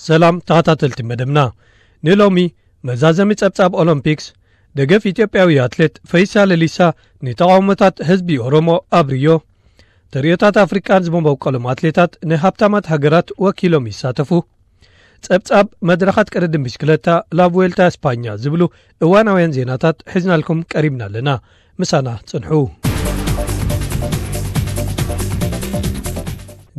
ሰላም ተኸታተልቲ መደብና። ንሎሚ መዛዘሚ ጸብጻብ ኦሎምፒክስ፣ ደገፍ ኢትዮጵያዊ ኣትሌት ፈይሳ ለሊሳ ንተቓውሞታት ህዝቢ ኦሮሞ ኣብ ሪዮ፣ ተርእዮታት ኣፍሪቃን ዝመበቆሎም ኣትሌታት ንሃብታማት ሃገራት ወኪሎም ይሳተፉ፣ ጸብጻብ መድረኻት ቅድድም ብሽክለታ ላቭዌልታ ስፓኛ ዝብሉ እዋናውያን ዜናታት ሒዝናልኩም ቀሪብና ኣለና። ምሳና ጽንሑ።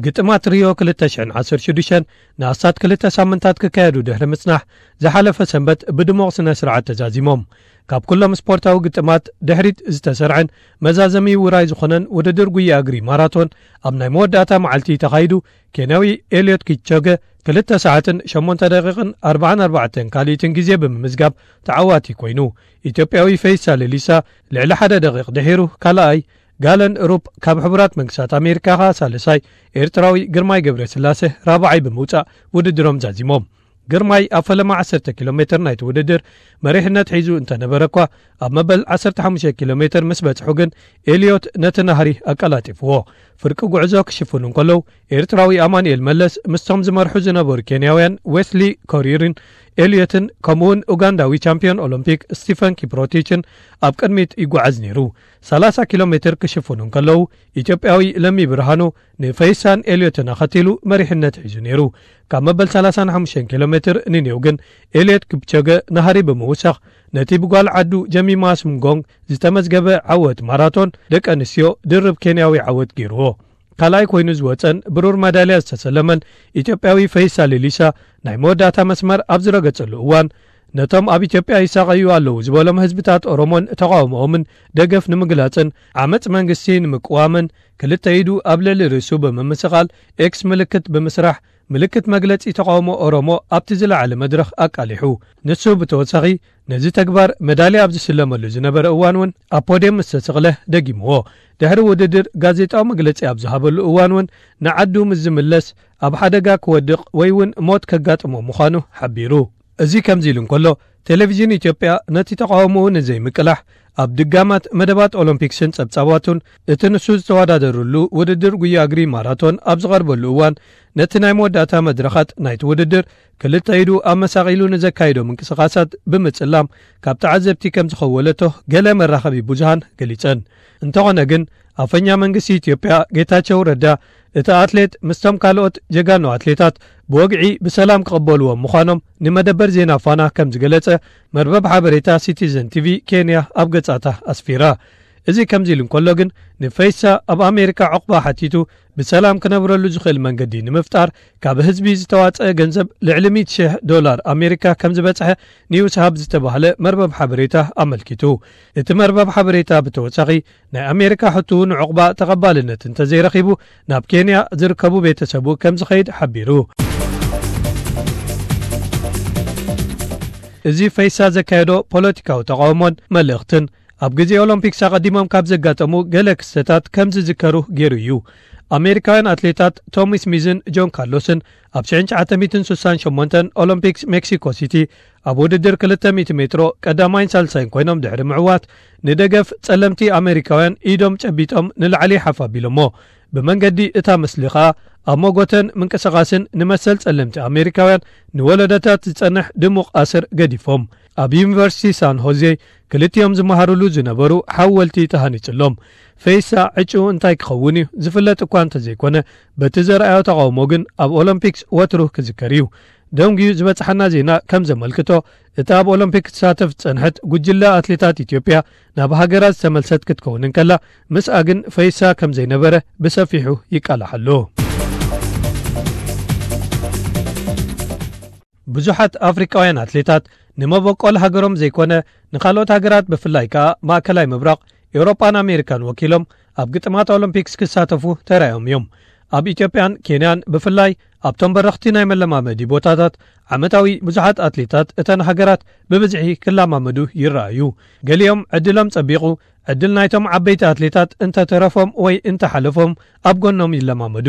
ግጥማት ሪዮ ክልተ ሽሕን ዓሰርተ ሽዱሽተን ንኣስታት ክልተ ሳምንታት ክካየዱ ድሕሪ ምጽናሕ፣ ዝሓለፈ ሰንበት ብድሙቕ ስነ ስርዓት ተዛዚሞም። ካብ ኩሎም ስፖርታዊ ግጥማት ድሕሪት ዝተሰርዐን መዛዘሚ ውራይ ዝኾነን ውድድር ጉያ እግሪ ማራቶን ኣብ ናይ መወዳእታ መዓልቲ ተኻይዱ፣ ኬንያዊ ኤልዮት ኪፕቾገ ክልተ ሰዓትን ሸሞንተ ደቂቕን ኣርባዓን ኣርባዕተን ካልኢትን ግዜ ብምምዝጋብ ተዓዋቲ ኮይኑ፣ ኢትዮጵያዊ ፈይሳ ሌሊሳ ልዕሊ ሓደ ደቂቕ ድሒሩ ካልኣይ፣ ጋለን ሩፕ ካብ ሕቡራት መንግስታት ኣሜሪካ ከኣ ሳልሳይ፣ ኤርትራዊ ግርማይ ገብረስላሴ ራብዓይ ብምውጻእ ውድድሮም ዛዚሞም። ግርማይ ኣብ ፈለማ ዓሰርተ ኪሎ ሜትር ናይቲ ውድድር መሪሕነት ሒዙ እንተነበረ እኳ፣ ኣብ መበል ዓሰርተ ሓሙሽተ ኪሎ ሜትር ምስ በጽሑ ግን ኤልዮት ነቲ ናህሪ ኣቀላጢፍዎ። ፍርቂ ጉዕዞ ክሽፍኑ እንከለዉ፣ ኤርትራዊ ኣማኑኤል መለስ ምስቶም ዝመርሑ ዝነበሩ ኬንያውያን ዌስሊ ኮሪርን ኤልዮትን፣ ከምኡውን ኡጋንዳዊ ቻምፒዮን ኦሎምፒክ ስቲፈን ኪፕሮቲችን ኣብ ቅድሚት ይጓዓዝ ነይሩ። ሰላሳ ኪሎ ሜትር ክሽፍኑ እንከለዉ፣ ኢትዮጵያዊ ለሚ ብርሃኑ ንፈይሳን ኤልዮትን ኣኸቲሉ መሪሕነት ሒዙ ነይሩ። ካብ መበል ሰላሳን ሓሙሽተን ኪሎ ሜትር ንኔው ግን ኤልዮት ኪፕቾገ ናህሪ ብምውሳኽ፣ ነቲ ብጓል ዓዱ ጀሚማ ስምጎንግ ዝተመዝገበ ዓወት ማራቶን ደቂ ኣንስትዮ ድርብ ኬንያዊ ዓወት ገይርዎ። ካልኣይ ኮይኑ ዝወጸን ብሩር መዳልያ ዝተሰለመን ኢትዮጵያዊ ፈይሳ ሌሊሳ ናይ መወዳእታ መስመር ኣብ ዝረገጸሉ እዋን፣ ነቶም ኣብ ኢትዮጵያ ይሳቐዩ ኣለዉ ዝበሎም ህዝብታት ኦሮሞን ተቓውሞኦምን ደገፍ ንምግላጽን ዓመጽ መንግስቲ ንምቅዋምን ክልተ ኢዱ ኣብ ልዕሊ ርእሱ ብምምስቓል ኤክስ ምልክት ብምስራሕ ምልክት መግለጺ ተቓውሞ ኦሮሞ ኣብቲ ዝለዓለ መድረኽ ኣቃሊሑ። ንሱ ብተወሳኺ ነዚ ተግባር መዳልያ ኣብ ዝስለመሉ ዝነበረ እዋን እውን ኣብ ፖድየም ምስ ተሰቕለ ደጊምዎ። ድሕሪ ውድድር ጋዜጣዊ መግለጺ ኣብ ዝሃበሉ እዋን እውን ንዓዱ ምስ ዝምለስ ኣብ ሓደጋ ክወድቕ ወይ እውን ሞት ከጋጥሞ ምዃኑ ሓቢሩ። እዚ ከምዚ ኢሉ እንከሎ፣ ቴሌቪዥን ኢትዮጵያ ነቲ ተቓውሞኡ ንዘይምቅላሕ ኣብ ድጋማት መደባት ኦሎምፒክስን ጸብጻባቱን እቲ ንሱ ዝተወዳደሩሉ ውድድር ጉያ እግሪ ማራቶን ኣብ ዝቐርበሉ እዋን፣ ነቲ ናይ መወዳእታ መድረኻት ናይቲ ውድድር ክልተ ኢዱ ኣመሳቒሉ ንዘካይዶ ምንቅስቓሳት ብምጽላም ካብ ተዓዘብቲ ከም ዝኸወለቶ ገለ መራኸቢ ብዙሃን ገሊጸን። እንተኾነ ግን፣ ኣፈኛ መንግስቲ ኢትዮጵያ ጌታቸው ረዳ፣ እቲ ኣትሌት ምስቶም ካልኦት ጀጋኑ ኣትሌታት ብወግዒ ብሰላም ክቕበልዎም ምዃኖም ንመደበር ዜና ፋና ከም ዝገለጸ መርበብ ሓበሬታ ሲቲዘን ቲቪ ኬንያ ኣብ ገጻታ ኣስፊራ። እዚ ከምዚ ኢሉ እንከሎ ግን፣ ንፈይሳ ኣብ ኣሜሪካ ዕቑባ ሓቲቱ ብሰላም ክነብረሉ ዝኽእል መንገዲ ንምፍጣር ካብ ህዝቢ ዝተዋጸአ ገንዘብ ልዕሊ ሚእቲ ሽሕ ዶላር ኣሜሪካ ከም ዝበጽሐ ኒውስ ሃብ ዝተባህለ መርበብ ሓበሬታ ኣመልኪቱ። እቲ መርበብ ሓበሬታ ብተወሳኺ፣ ናይ ኣሜሪካ ሕቱ ንዕቑባ ተቐባልነት እንተዘይረኺቡ ናብ ኬንያ ዝርከቡ ቤተሰቡ ከም ዝኸይድ ሓቢሩ። እዚ ፈይሳ ዘካየዶ ፖለቲካዊ ተቓውሞን መልእኽትን ኣብ ግዜ ኦሎምፒክስ ኣቐዲሞም ካብ ዘጋጠሙ ገለ ክስተታት ከም ዝዝከሩ ገይሩ እዩ። ኣሜሪካውያን ኣትሌታት ቶሚ ስሚዝን ጆን ካርሎስን ኣብ ሽሕን ትሽዓተ ሚእትን ስሳን ሸሞንተን ኦሎምፒክስ ሜክሲኮ ሲቲ ኣብ ውድድር ክልተ ሚእቲ ሜትሮ ቀዳማይን ሳልሳይን ኮይኖም ድሕሪ ምዕዋት፣ ንደገፍ ጸለምቲ ኣሜሪካውያን ኢዶም ጨቢጦም ንላዕሊ ሓፍ ኣቢሎሞ። ብመንገዲ እታ ምስሊ ኸኣ ኣብ መጎተን ምንቅስቓስን ንመሰል ጸለምቲ ኣሜሪካውያን ንወለዶታት ዝጸንሕ ድሙቕ ኣስር ገዲፎም። ኣብ ዩኒቨርሲቲ ሳን ሆዜ ክልቲኦም ዝመሃሩሉ ዝነበሩ ሓወልቲ ተሃኒጽሎም። ፈይሳ ዕጭኡ እንታይ ክኸውን እዩ ዝፍለጥ እኳ እንተዘይኮነ፣ በቲ ዘርኣዮ ተቓውሞ ግን ኣብ ኦሎምፒክስ ወትሩ ክዝከር እዩ። ደንጉዩ ዝበጽሓና ዜና ከም ዘመልክቶ፣ እታ ኣብ ኦሎምፒክ ክትሳተፍ ዝጸንሐት ጉጅለ ኣትሌታት ኢትዮጵያ ናብ ሃገራ ዝተመልሰት ክትከውን እንከላ፣ ምስኣ ግን ፈይሳ ከም ዘይነበረ ብሰፊሑ ይቃላሕ ኣሎ። ብዙሓት ኣፍሪቃውያን ኣትሌታት ንመበቆል ሃገሮም ዘይኮነ ንኻልኦት ሃገራት ብፍላይ ከኣ ማእከላይ ምብራቕ፣ ኤውሮጳን ኣሜሪካን ወኪሎም ኣብ ግጥማት ኦሎምፒክስ ክሳተፉ ተራእዮም እዮም። ኣብ ኢትዮጵያን ኬንያን ብፍላይ ኣብቶም በረኽቲ ናይ መለማመዲ ቦታታት ዓመታዊ ብዙሓት ኣትሌታት እተን ሃገራት ብብዝሒ ክለማመዱ ይረኣዩ። ገሊኦም ዕድሎም ጸቢቑ ዕድል ናይቶም ዓበይቲ ኣትሌታት እንተተረፎም ወይ እንተሓለፎም ኣብ ጎኖም ይለማመዱ።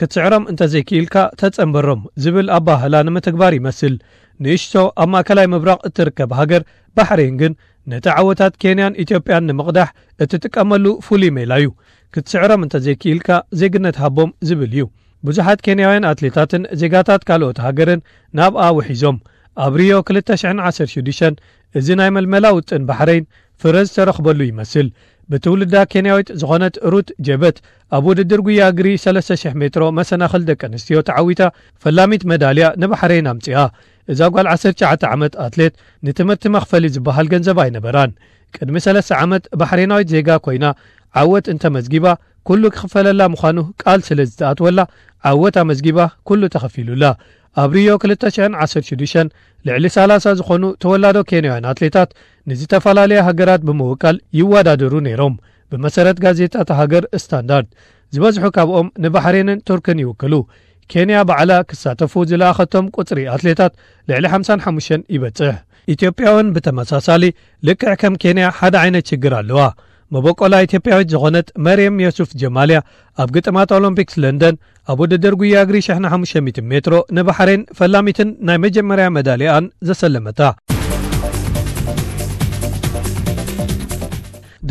ክትስዕሮም እንተዘይክኢልካ ተጸንበሮም ዝብል ኣባህላ ንምትግባር ይመስል። ንእሽቶ ኣብ ማእከላይ ምብራቕ እትርከብ ሃገር ባሕሬን ግን ነቲ ዓወታት ኬንያን ኢትዮጵያን ንምቕዳሕ እትጥቀመሉ ፍሉይ ሜላ እዩ። ክትስዕሮም እንተዘይክኢልካ ዜግነት ሃቦም ዝብል እዩ። ብዙሓት ኬንያውያን ኣትሌታትን ዜጋታት ካልኦት ሃገርን ናብኣ ውሒዞም። ኣብ ሪዮ ክልተ ሽሕን ዓሰርተ ሽዱሽተን እዚ ናይ መልመላ ውጥን ባሕረይን ፍረ ዝተረኽበሉ ይመስል። ብትውልዳ ኬንያዊት ዝኾነት ሩት ጀበት ኣብ ውድድር ጉያ እግሪ ሰለስተ ሽሕ ሜትሮ መሰናኽል ደቂ ኣንስትዮ ተዓዊታ ፈላሚት መዳልያ ንባሕረይን ኣምጺኣ። እዛ ጓል ዓሰርተ ትሽዓተ ዓመት ኣትሌት ንትምህርቲ መኽፈሊ ዝበሃል ገንዘብ ኣይነበራን። ቅድሚ ሰለስተ ዓመት ባሕሬናዊት ዜጋ ኮይና ዓወት እንተመዝጊባ ኩሉ ክኽፈለላ ምዃኑ ቃል ስለ ዝተኣትወላ ዓወት ኣመዝጊባ ኩሉ ተኸፊሉላ። ኣብ ሪዮ ክልተ ሽሕን ዓሰርተ ሽዱሽተን ልዕሊ ሰላሳ ዝኾኑ ተወላዶ ኬንያውያን ኣትሌታት ንዝተፈላለያ ሃገራት ብምውካል ይወዳደሩ ነይሮም። ብመሰረት ጋዜጣ እታ ሃገር ስታንዳርድ ዝበዝሑ ካብኦም ንባሕሬንን ቱርክን ይውክሉ። ኬንያ ባዕላ ክሳተፉ ዝለኣኸቶም ቁጽሪ ኣትሌታት ልዕሊ ሓምሳን ሓሙሽተን ይበጽሕ። ኢትዮጵያ እውን ብተመሳሳሊ ልክዕ ከም ኬንያ ሓደ ዓይነት ሽግር ኣለዋ። መበቆላ ኢትዮጵያዊት ዝኾነት መርየም የሱፍ ጀማልያ ኣብ ግጥማት ኦሎምፒክስ ለንደን ኣብ ውድድር ጉያ እግሪ ሽሕን ሓሙሽተ ሚእትን ሜትሮ ንባሕሬን ፈላሚትን ናይ መጀመርያ መዳልያኣን ዘሰለመታ።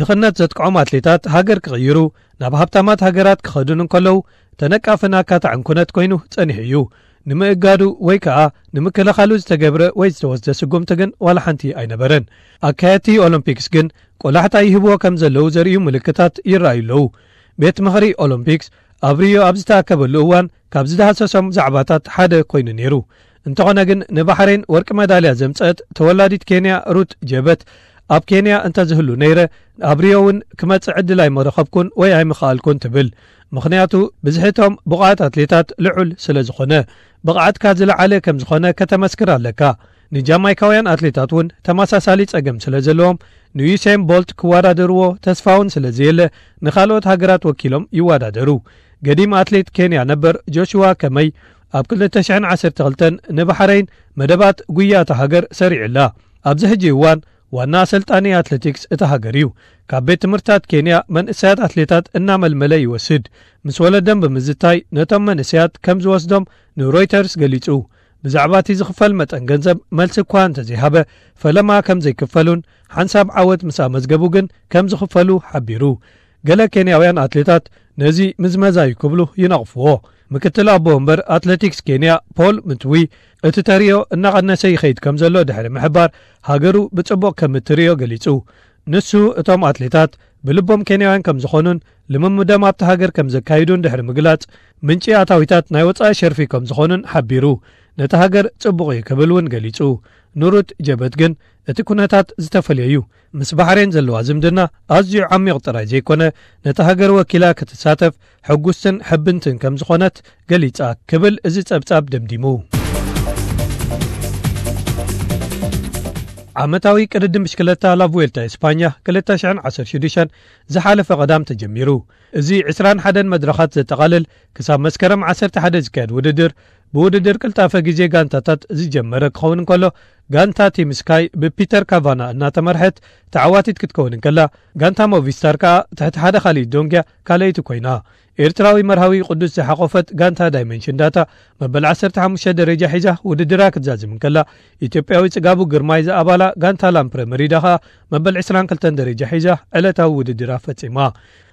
ድኽነት ዘጥቅዖም ኣትሌታት ሃገር ክቕይሩ ናብ ሃብታማት ሃገራት ክኸዱን እንከለዉ ተነቃፍን ኣካታዕን ኩነት ኮይኑ ጸኒሑ እዩ። ንምእጋዱ ወይ ከኣ ንምክልኻሉ ዝተገብረ ወይ ዝተወስደ ስጉምቲ ግን ዋላ ሓንቲ ኣይነበረን። ኣካየድቲ ኦሎምፒክስ ግን ቆላሕታ ይህብዎ ከም ዘለዉ ዘርእዩ ምልክታት ይረኣዩ ኣለዉ። ቤት ምኽሪ ኦሎምፒክስ ኣብ ሪዮ ኣብ ዝተኣከበሉ እዋን ካብ ዝዳህሰሶም ዛዕባታት ሓደ ኮይኑ ነይሩ። እንተኾነ ግን ንባሕሬን ወርቂ መዳልያ ዘምጸአት ተወላዲት ኬንያ ሩት ጀበት ኣብ ኬንያ እንተዝህሉ ነይረ ኣብ ሪዮ እውን ክመጽእ ዕድል ኣይመረኸብኩን ወይ ኣይምኸኣልኩን ትብል። ምኽንያቱ ብዝሕቶም ብቑዓት ኣትሌታት ልዑል ስለ ዝኾነ። ብቕዓትካ ዝለዓለ ከም ዝኾነ ከተመስክር ኣለካ። ንጃማይካውያን ኣትሌታት እውን ተመሳሳሊ ጸገም ስለ ዘለዎም ንዩሴን ቦልት ክወዳደርዎ ተስፋ እውን ስለ ዘየለ ንኻልኦት ሃገራት ወኪሎም ይወዳደሩ። ገዲም ኣትሌት ኬንያ ነበር ጆሽዋ ከመይ ኣብ ክልተ ሽሕን ዓሰርተ ክልተን ንባሕረይን መደባት ጉያ እታ ሃገር ሰሪዑላ። ኣብዚ ሕጂ እዋን ዋና ኣሰልጣኒ ኣትሌቲክስ እታ ሃገር እዩ። ካብ ቤት ትምህርታት ኬንያ መንእሰያት ኣትሌታት እናመልመለ ይወስድ። ምስ ወለዶም ብምዝታይ ነቶም መንእሰያት ከም ዝወስዶም ንሮይተርስ ገሊጹ። ብዛዕባ እቲ ዝኽፈል መጠን ገንዘብ መልሲ እኳ እንተዘይሃበ፣ ፈለማ ከም ዘይክፈሉን ሓንሳብ ዓወት ምስ ኣመዝገቡ ግን ከም ዝኽፈሉ ሓቢሩ። ገለ ኬንያውያን ኣትሌታት ነዚ ምዝመዛ እዩ ክብሉ ይነቕፍዎ። ምክትል ኣቦ ወንበር ኣትሌቲክስ ኬንያ ፖል ምትዊ እቲ ተሪዮ እናቐነሰ ይኸይድ ከም ዘሎ ድሕሪ ምሕባር፣ ሃገሩ ብጽቡቕ ከም እትርእዮ ገሊጹ። ንሱ እቶም ኣትሌታት ብልቦም ኬንያውያን ከም ዝኾኑን ልምምዶም ኣብቲ ሃገር ከም ዘካይዱን ድሕሪ ምግላጽ፣ ምንጪ ኣታዊታት ናይ ወጻኢ ሸርፊ ከም ዝኾኑን ሓቢሩ። ነቲ ሃገር ጽቡቕ እዩ ክብል እውን ገሊጹ። ንሩት ጀበት ግን እቲ ኩነታት ዝተፈልየ እዩ። ምስ ባሕሬን ዘለዋ ዝምድና ኣዝዩ ዓሚቕ ጥራይ ዘይኮነ፣ ነቲ ሃገር ወኪላ ክትሳተፍ ሕጉስትን ሕብንትን ከም ዝኾነት ገሊጻ ክብል እዚ ጸብጻብ ደምዲሙ። ዓመታዊ ቅድድም ብሽክለታ ላቭዌልታ ኤስፓኛ ክልተ ሽሕን ዓሰርተ ሽዱሽተን ዝሓለፈ ቀዳም ተጀሚሩ። እዚ ዕስራን ሓደን መድረኻት ዘጠቓልል ክሳብ መስከረም ዓሰርተ ሓደ ዝካየድ ውድድር፣ ብውድድር ቅልጣፈ ግዜ ጋንታታት ዝጀመረ ክኸውን እንከሎ፣ ጋንታ ቲም ስካይ ብፒተር ካቫና እናተመርሐት ተዓዋቲት ክትከውን እንከላ፣ ጋንታ ሞቪስታር ከኣ ትሕቲ ሓደ ካልኢት ዶንግያ ካልኣይቲ ኮይና። ኤርትራዊ መርሃዊ ቅዱስ ዝሓቆፈት ጋንታ ዳይመንሽን ዳታ መበል ዓሰርተ ሓሙሽተ ደረጃ ሒዛ ውድድራ ክትዛዝም እንከላ፣ ኢትዮጵያዊ ጽጋቡ ግርማይ ዝኣባላ ጋንታ ላምፕረ መሪዳ ከኣ መበል ዕስራን ክልተን ደረጃ ሒዛ ዕለታዊ ውድድራ ፈጺማ።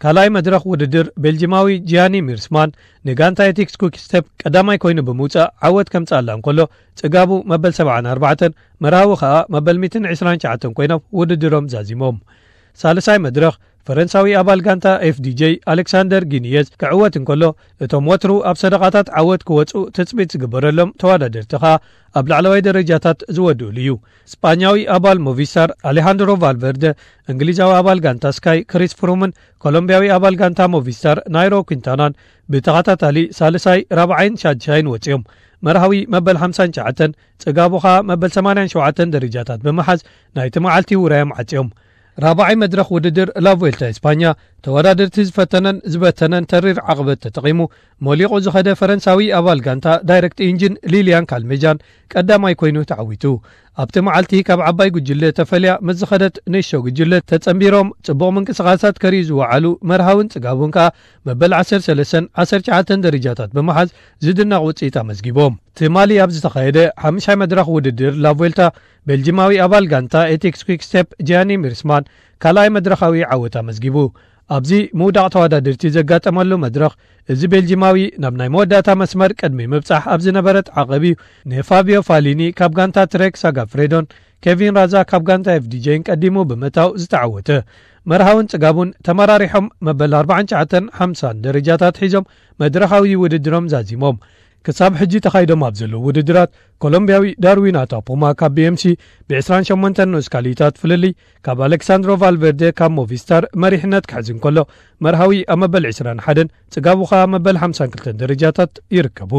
ካልኣይ መድረኽ ውድድር ቤልጂማዊ ጂያኒ ሚርስማን ንጋንታ ኤቲክስ ኩክስቴፕ ቀዳማይ ኮይኑ ብምውጻእ ዓወት ከምጽኣላ እንከሎ፣ ጽጋቡ መበል ሰብዓን ኣርባዕተን መርሃዊ ከኣ መበል ሚእትን ዕስራን ትሽዓተን ኮይኖም ውድድሮም ዛዚሞም። ሳልሳይ መድረኽ ፈረንሳዊ ኣባል ጋንታ ኤፍዲጄ ኣሌክሳንደር ጊኒየዝ ክዕወት እንከሎ፣ እቶም ወትሩ ኣብ ሰደቓታት ዓወት ክወጹ ትጽቢት ዝግበረሎም ተወዳደርቲ ከኣ ኣብ ላዕለዋይ ደረጃታት ዝወድኡሉ እዩ። ስጳኛዊ ኣባል ሞቪስታር ኣሌሃንድሮ ቫልቨርደ፣ እንግሊዛዊ ኣባል ጋንታ ስካይ ክሪስ ፍሩምን ኮሎምቢያዊ ኣባል ጋንታ ሞቪስታር ናይሮ ኲንታናን ብተኸታታሊ ሳልሳይ፣ ራብዓይን ሻድሻይን ወጺኦም። መርሃዊ መበል ሓምሳን ትሽዓተን፣ ጽጋቡ ኸኣ መበል ሰማንያን ሸውዓተን ደረጃታት ብምሓዝ ናይቲ መዓልቲ ውራዮም ዓጽዮም። ራብዓይ መድረኽ ውድድር ላቮልታ ኤስፓኛ ተወዳደርቲ ዝፈተነን ዝበተነን ተሪር ዓቕበት ተጠቒሙ ሞሊቑ ዝኸደ ፈረንሳዊ ኣባል ጋንታ ዳይሬክት ኢንጂን ሊልያን ካልሜጃን ቀዳማይ ኮይኑ ተዓዊቱ። ኣብቲ መዓልቲ ካብ ዓባይ ጉጅለ ተፈልያ ምስ ዝኸደት ንእሽቶ ጉጅለ ተጸንቢሮም ጽቡቕ ምንቅስቓሳት ከርእዩ ዝወዓሉ መርሃውን ጽጋቡን ከኣ መበል ዓሰርተ ሰለስተን ዓሰርተ ትሽዓተን ደረጃታት ብምሓዝ ዝድነቕ ውጽኢት ኣመዝጊቦም። ትማሊ ኣብ ዝተኻየደ ሓምሻይ መድረኽ ውድድር ላቮልታ ቤልጂማዊ ኣባል ጋንታ ኤቲክስ ኲክስቴፕ ጂያኒ ሚርስማን ካልኣይ መድረኻዊ ዓወት ኣመዝጊቡ። ኣብዚ ምውዳቕ ተወዳደርቲ ዘጋጠመሉ መድረኽ፣ እዚ ቤልጂማዊ ናብ ናይ መወዳእታ መስመር ቅድሚ ምብጻሕ ኣብ ዝነበረ ተዓቐብ እዩ ንፋቢዮ ፋሊኒ ካብ ጋንታ ትሬክ ሳጋፍሬዶን ኬቪን ራዛ ካብ ጋንታ ኤፍዲጄን ቀዲሙ ብምእታው ዝተዓወተ። መርሃውን ጽጋቡን ተመራሪሖም መበል ኣርባዓን ትሽዓተን ሓምሳን ደረጃታት ሒዞም መድረኻዊ ውድድሮም ዛዚሞም። ክሳብ ሕጂ ተኻይዶም ኣብ ዘለዉ ውድድራት፣ ኮሎምቢያዊ ዳርዊን ኣታፖማ ካብ ቢኤምሲ ብ28 ንኡስ ካልኢታት ፍልልይ ካብ ኣሌክሳንድሮ ቫልቨርደ ካብ ሞቪስታር መሪሕነት ክሕዝ እንከሎ፣ መርሃዊ ኣብ መበል ዕስራን ሓደን፣ ጽጋቡ ኸኣ ኣብ መበል ሓምሳን ክልተን ደረጃታት ይርከቡ።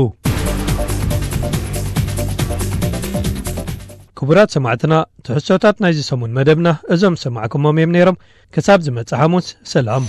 ክቡራት ሰማዕትና፣ ትሕዝቶታት ናይዚ ሰሙን መደብና እዞም ዝሰማዕኩሞም እዮም ነይሮም። ክሳብ ዝመጽእ ሓሙስ፣ ሰላም።